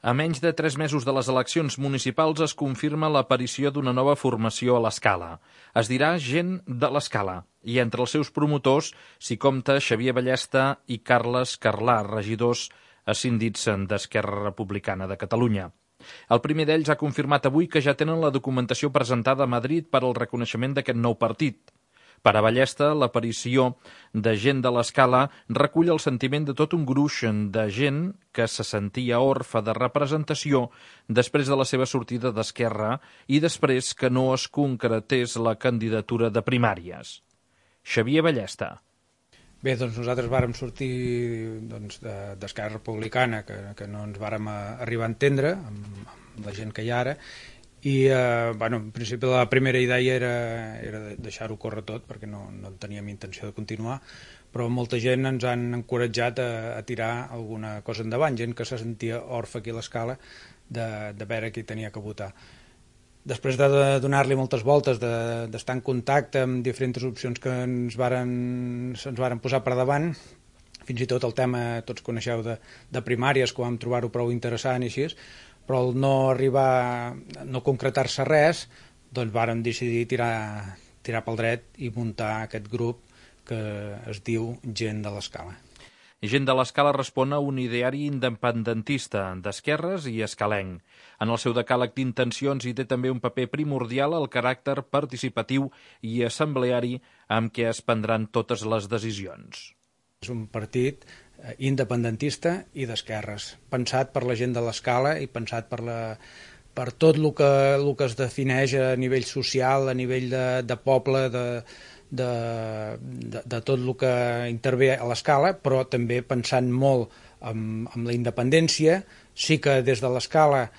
A menys de 3 mesos de les eleccions municipals es confirma l'aparició d'una nova formació a l'Escala. Es dirà Gent de l'Escala, i entre els seus promotors s'hi compta Xavier Ballesta i Carles Carlà, regidors escindits d'Esquerra Republicana de Catalunya. El primer d'ells ha confirmat avui que ja tenen la documentació presentada a Madrid per al reconeixement d'aquest nou partit. Per a Ballesta, l'aparició de Gent de l'Escala recull el sentiment de tot un gruix de gent que se sentia orfe de representació després de la seva sortida d'Esquerra i després que no es concretés la candidatura de primàries. Xavier Ballesta. Bé, doncs nosaltres vàrem sortir d'Esquerra Republicana, que no ens vàrem arribar a entendre amb la gent que hi ha ara, i en principi la primera idea era deixar-ho córrer tot perquè no teníem intenció de continuar, però molta gent ens han encoratjat a tirar alguna cosa endavant, gent que se sentia orfe aquí a l'Escala de veure qui tenia que votar. Després de donar-li moltes voltes, d'estar en contacte amb diferents opcions que ens varen posar per davant, fins i tot el tema, tots coneixeu, de primàries, que vam trobar-ho prou interessant i així, però al no concretar-se res, doncs vàrem decidir tirar pel dret i muntar aquest grup que es diu Gent de l'Escala. Gent de l'Escala respon a un ideari independentista, d'esquerres i escalenc. En el seu decàleg d'intencions hi té també un paper primordial el caràcter participatiu i assembleari amb què es prendran totes les decisions. És un partit independentista i d'esquerres, pensat per la gent de l'Escala i pensat per tot el que es defineix a nivell social, a nivell de poble, de tot el que intervé a l'Escala, però també pensant molt en la independència. Sí que des de l'Escala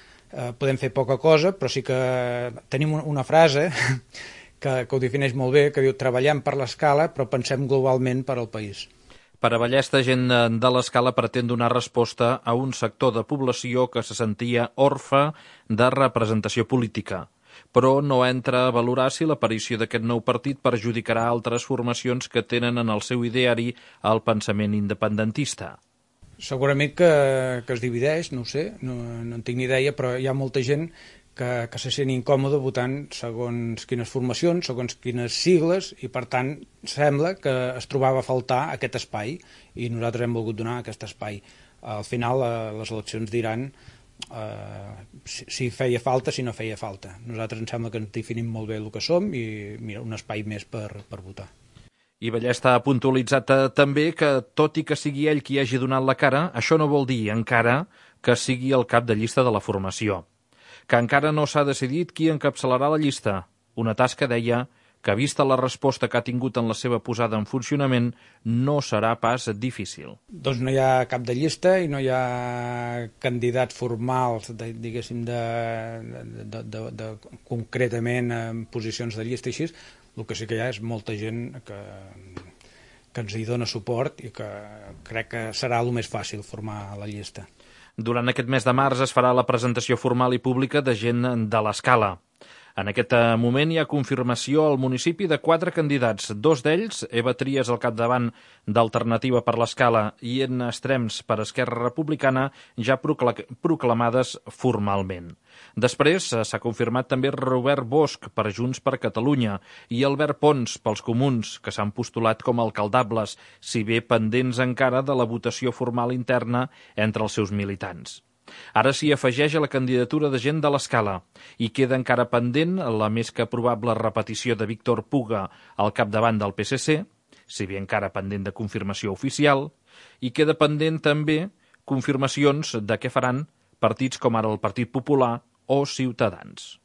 podem fer poca cosa, però sí que tenim una frase que ho defineix molt bé, que diu: treballem per l'Escala però pensem globalment per al país. Per a Ballesta, Gent de l'Escala pretén donar resposta a un sector de població que se sentia orfe de representació política, però no entra a valorar si l'aparició d'aquest nou partit perjudicarà altres formacions que tenen en el seu ideari el pensament independentista. Segurament que es divideix, no ho sé, no en tinc ni idea, però hi ha molta gent que se sent incòmode votant segons quines formacions, segons quines sigles, i per tant sembla que es trobava a faltar aquest espai i nosaltres hem volgut donar aquest espai. Al final les eleccions diran si feia falta, si no feia falta. Nosaltres ens sembla que ens definim molt bé el que som i mira, un espai més per votar. I Ballesta ha puntualitzat també que, tot i que sigui ell qui hagi donat la cara, això no vol dir encara que sigui el cap de llista de la formació, que encara no s'ha decidit qui encapçalarà la llista, una tasca, deia, que vista la resposta que ha tingut en la seva posada en funcionament no serà pas difícil. Doncs no hi ha cap de llista i no hi ha candidats formals, diguéssim, concretament en posicions de llista i així. El que sí que hi ha és molta gent que ens hi dona suport i que crec que serà el més fàcil formar la llista. Durant aquest mes de març es farà la presentació formal i pública de Gent de l'Escala. En aquest moment hi ha confirmació al municipi de 4 candidats, 2 d'ells, Eva Trias al capdavant d'Alternativa per l'Escala i Edna Estrems per Esquerra Republicana, ja proclamades formalment. Després s'ha confirmat també Robert Bosch per Junts per Catalunya i Albert Pons pels Comuns, que s'han postulat com a alcaldables, si bé pendents encara de la votació formal interna entre els seus militants. Ara s'hi afegeix a la candidatura de Gent de l'Escala i queda encara pendent la més que probable repetició de Víctor Puga al capdavant del PSC, si bé encara pendent de confirmació oficial, i queda pendent també confirmacions de què faran partits com ara el Partit Popular o Ciutadans.